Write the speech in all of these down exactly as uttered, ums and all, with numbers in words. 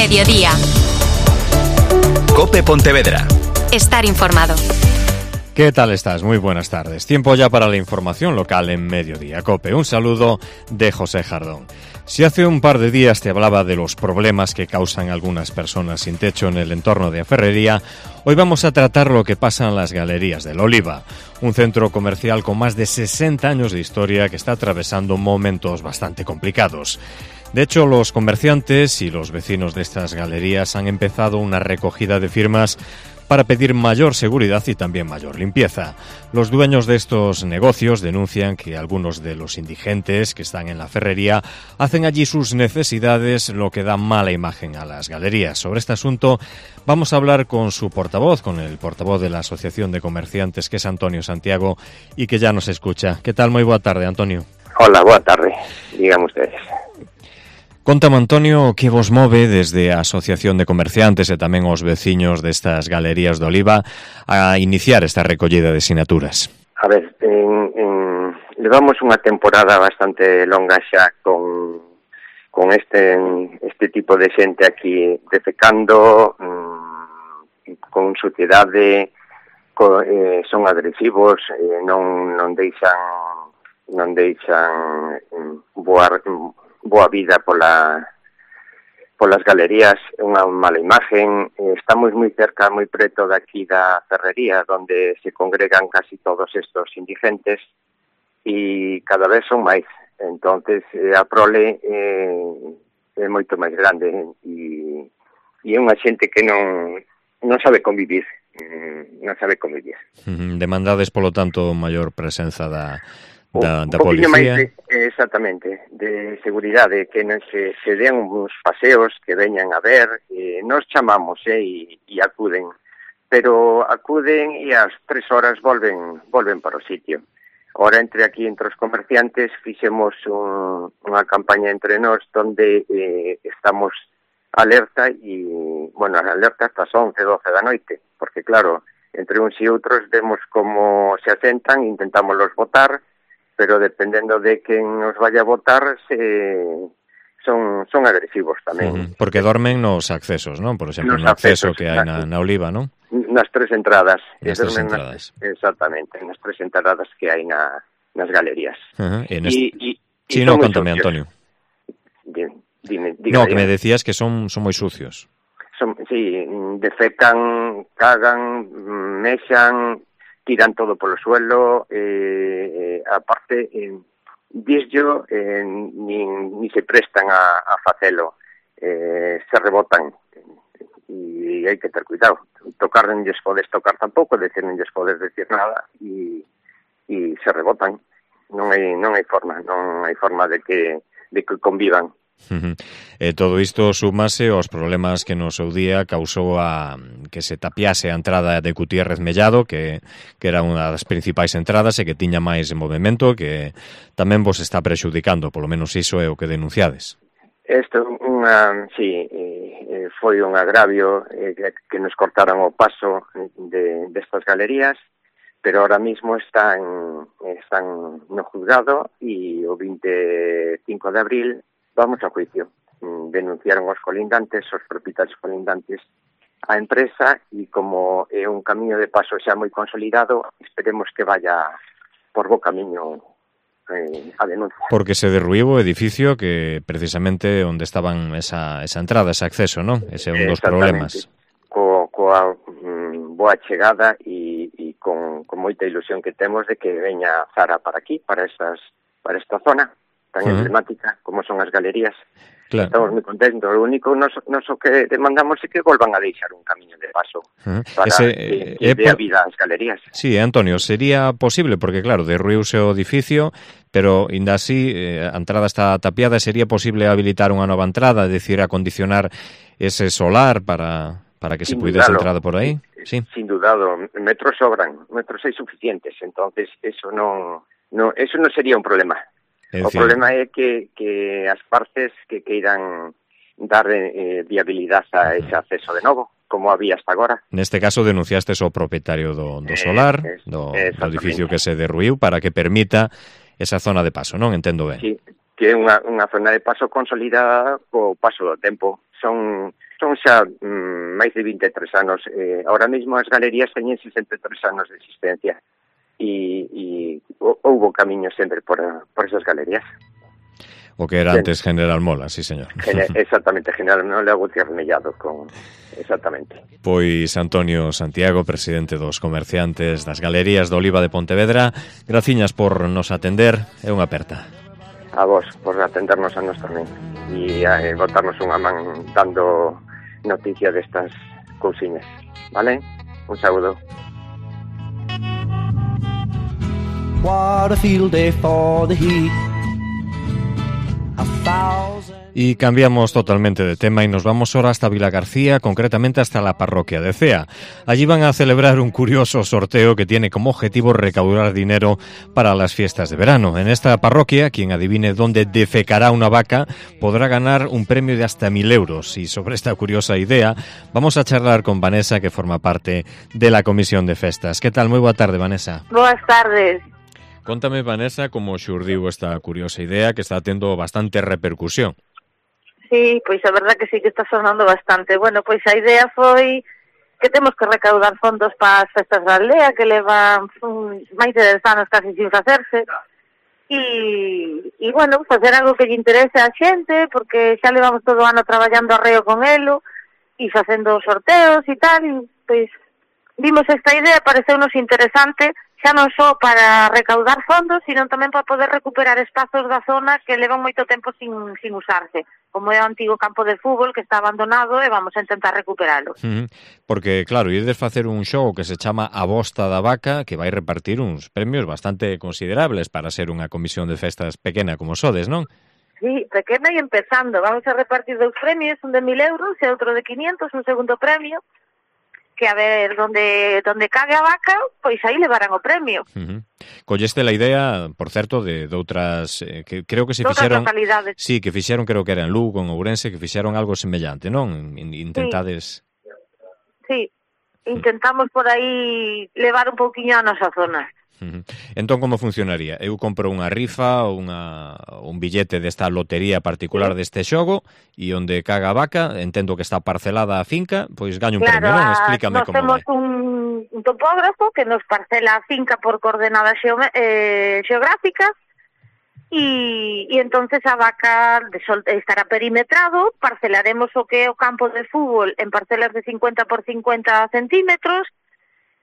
Mediodía. COPE Pontevedra. Estar informado. ¿Qué tal estás? Muy buenas tardes. Tiempo ya para la información local en Mediodía COPE. Un saludo de José Jardón. Si hace un par de días te hablaba de los problemas que causan algunas personas sin techo en el entorno de Ferrería, hoy vamos a tratar lo que pasa en las Galerías del Oliva, un centro comercial con más de sesenta años de historia que está atravesando momentos bastante complicados. De hecho, los comerciantes y los vecinos de estas galerías han empezado una recogida de firmas para pedir mayor seguridad y también mayor limpieza. Los dueños de estos negocios denuncian que algunos de los indigentes que están en la ferrería hacen allí sus necesidades, lo que da mala imagen a las galerías. Sobre este asunto vamos a hablar con su portavoz, con el portavoz de la Asociación de Comerciantes, que es Antonio Santiago, y que ya nos escucha. ¿Qué tal? Muy boa tarde, Antonio. Hola, boa tarde. Digan ustedes. Contame, Antonio, que vos move desde a Asociación de Comerciantes e tamén os veciños destas galerías de Oliva a iniciar esta recollida de sinaturas? A ver, en, en, levamos unha temporada bastante longa xa con, con este, este tipo de xente aquí defecando, mmm, con suciedade, co, eh, son agresivos, eh, non, non deixan, non deixan mm, boar... boa vida pola polas galerías, unha mala imagen. Estamos moi cerca, moi preto daqui da ferrería, onde se congregan casi todos estos indigentes e cada vez son máis. Entonces a prole eh, é moito máis grande e, e é unha xente que non non sabe convivir, non sabe convivir. Demandades, polo tanto, maior presenza da Da, da un poquinho policía. máis de, exactamente, de seguridade, que non se, se den uns paseos, que veñan a ver, eh, nos chamamos eh, e, e acuden, pero acuden e ás tres horas volven volven para o sitio. Ora, entre aquí, entre os comerciantes, fixemos un, unha campaña entre nós donde eh, estamos alerta e, bueno, alerta hasta as once, doce da noite, porque claro, entre uns e outros vemos como se asentan, intentamos los botar, pero dependendo de quen nos vaya a votar, se, son son agresivos tamén. Uh-huh. Porque dormen nos accesos, non? Por exemplo, nos no acceso accesos, que hai na, na Oliva, non? Nas tres entradas. Nas tres entradas. Nas, exactamente, nas tres entradas que hai na, nas galerías. Uh-huh. E nest... y, y, sí, no, contame, Antonio. Dime, dime, diga, no, que dime. me decías que son son moi sucios. Son, sí, defecan, cagan, mexan, tiran todo polo suelo, eh, eh, aparte, eh, disyo, eh, ni, ni se prestan a, a facelo, eh, se rebotan, e hai que ter cuidado. Tocar non lles podes tocar tampouco, decir, non lles podes decir nada, e, e se rebotan. Non hai, non hai forma, non hai forma de que, de que convivan. Uh-huh. E todo isto súmase aos problemas que no seu día causou a que se tapiase a entrada de Gutiérrez Mellado, que, que era unha das principais entradas e que tiña máis movimento, que tamén vos está prexudicando, polo menos iso é o que denunciades. Isto unha, sí, eh, foi un agravio eh, que nos cortaran o paso de destas galerías, pero ahora mismo están, están no juzgado e o vinte e cinco de abril vamos a juicio. Denunciaron os colindantes, os propietarios colindantes a empresa e como é un camiño de paso xa moi consolidado, esperemos que vaya por bo camiño eh, a denuncia. Porque se derruiu o edificio que precisamente onde estaban esa, esa entrada, ese acceso, non? Ese é un dos problemas. Co, coa mm, boa chegada e, e con, con moita ilusión que temos de que veña Zara para aquí, para, esas, para esta zona tan uh-huh. emblemática como son as galerías. Claro. Estamos moi contentos. O único noso, noso que demandamos é que volvan a deixar un camiño de paso uh-huh. para Ese, que, que eh, dé a vida ás galerías. Sí, Antonio, sería posible, porque claro, derruiuse o edificio, pero ainda así eh, a entrada está tapiada, sería posible habilitar unha nova entrada, é dicir, acondicionar ese solar para, para que sin se puidese dudalo. entrar por aí? Sí. Sin dudado, metros sobran, metros hai suficientes, entonces eso non, no, eso non sería un problema. Es o decir, problema é que, que as partes que queiran dar eh, viabilidade a ese acceso de novo, como había hasta agora. Neste caso denunciastes ao propietario do, do solar, eh, do, do edificio que se derruiu, para que permita esa zona de paso, non? Entendo ben. Sí, que é unha, unha zona de paso consolidada co paso do tempo. Son son xa mm, máis de vinte e tres anos. Eh, ahora mesmo as galerías teñen sesenta e tres anos de existencia e, e houbo camiño sempre por, por esas galerías. O que era antes General Mola, sí, señor. Gen- exactamente, General Mola Gutiérrez-Mellado, con... exactamente. Pois Antonio Santiago, presidente dos comerciantes das Galerías do Oliva de Pontevedra, graciñas por nos atender, é unha aperta. A vos, por atendernos a nos tamén, e eh, botarnos unha man dando noticia destas cousiñas, vale? Un saúdo. What a field day for the heat. Y cambiamos totalmente de tema y nos vamos ahora hasta Vilagarcía, concretamente hasta la parroquia de Cea. Allí van a celebrar un curioso sorteo que tiene como objetivo recaudar dinero para las fiestas de verano. En esta parroquia, quien adivine dónde defecará una vaca podrá ganar un premio de hasta mil euros. Y sobre esta curiosa idea vamos a charlar con Vanessa, que forma parte de la Comisión de Festas. ¿Qué tal? Muy boa tarde, Vanessa. Boas tardes. Contame, Vanessa, como xurdiu esta curiosa idea que está tendo bastante repercusión. Sí, pois a verdad que sí que está sonando bastante. Bueno, pois a idea foi que temos que recaudar fondos para as festas da aldea, que levan um, máis de dez anos casi sin facerse. E, e bueno, facer algo que lle interese a xente, porque xa levamos todo o ano traballando arreo con elo e facendo sorteos e tal, e pois vimos esta idea, pareceunos interesante, xa non só para recaudar fondos, sino tamén para poder recuperar espazos da zona que levan moito tempo sin, sin usarse, como é o antigo campo de fútbol que está abandonado e vamos a intentar recuperalo. Uh-huh. Porque, claro, ides facer un xogo que se chama A Bosta da Vaca, que vai repartir uns premios bastante considerables para ser unha comisión de festas pequena como sodes, non? Sí, pequena e empezando. Vamos a repartir dous premios, un de mil euros e outro de quinientos, un segundo premio, que a ver, donde donde cague a vaca, pois aí levarán o premio. Uh-huh. Colleste la idea, por certo, de, de outras, eh, que creo que se Outras fixeron... localidades. Sí, que fixeron, creo que era en Lugo, en Ourense, que fixeron algo semellante, non? Intentades... Sí, intentamos por aí levar un pouquiño a nosa zona. Uh-huh. Entón, como funcionaría? Eu compro unha rifa ou unha, un billete desta lotería particular sí. deste xogo e onde caga a vaca, entendo que está parcelada a finca, pois gaño un claro, premio, non? Explícame como temos vai. Un, un topógrafo que nos parcela a finca por coordenadas xeome, eh, xeográficas e, e entonces a vaca de sol, estará perimetrado, parcelaremos o que é o campo de fútbol en parcelas de cincuenta por cincuenta centímetros.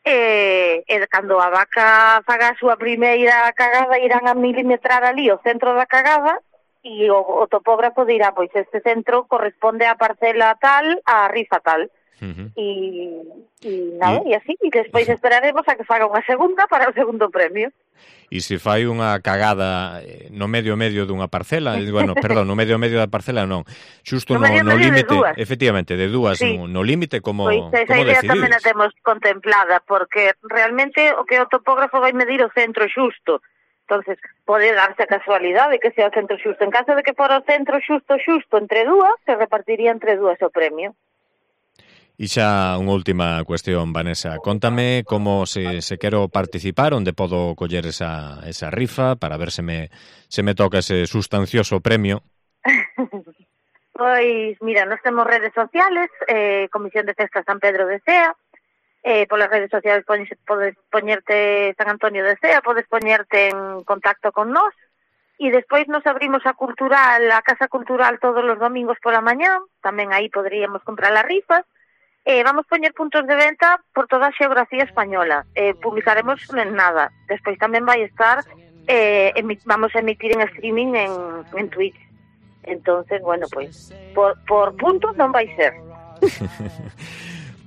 E, e cando a vaca faga a súa primeira cagada irán a milimetrar ali o centro da cagada e o, o topógrafo dirá, pois este centro corresponde á parcela tal, á rifa tal. Uh-huh. E, e nada, e... e así, e despois esperaremos a que faga unha segunda para o segundo premio. E se fai unha cagada no medio medio dunha parcela, bueno, perdón, no medio medio da parcela non, xusto no, no, no límite, efectivamente, de dúas, sí. no, no límite, como, pois esa como idea decidides? Tamén a temos contemplada, porque realmente o que o topógrafo vai medir o centro xusto. Entonces, pode darse a casualidade que sea o centro xusto. En caso de que fora o centro xusto xusto entre dúas, se repartiría entre dúas o premio. E xa unha última cuestión, Vanessa. Contame como se, se quero participar, onde podo coller esa, esa rifa para ver se me, se me toca ese sustancioso premio. Pois, mira, nos temos redes sociales, eh, Comisión de Festas San Pedro de Cea, eh, polas redes sociales podes, podes poñerte San Antonio de Cea, podes poñerte en contacto con nós, e despois nos abrimos a cultural, a Casa Cultural todos os domingos pola mañá, tamén aí poderíamos comprar as rifas. Eh, vamos poñer puntos de venta por toda a xeografía española. Eh, publicaremos en nada. Despois tamén vai estar, eh, emi- vamos a emitir en streaming en, en Twitch. Entonces, bueno, pois, por, por puntos non vai ser.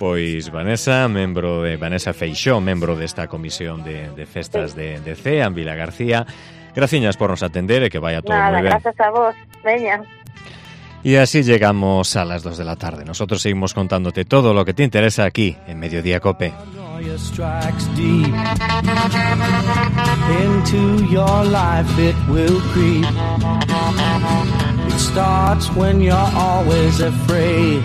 Pois Vanessa, membro de Vanessa Feixó, membro desta comisión de, de festas sí. de, de Cea, en Vilagarcía. Graciñas por nos atender e que vaya todo Nada, moi ben. Gracias a vos. Veña. Y así llegamos a las dos de la tarde. Nosotros seguimos contándote todo lo que te interesa aquí, en Mediodía Cope. Into your life it will creep. It starts when you're always afraid.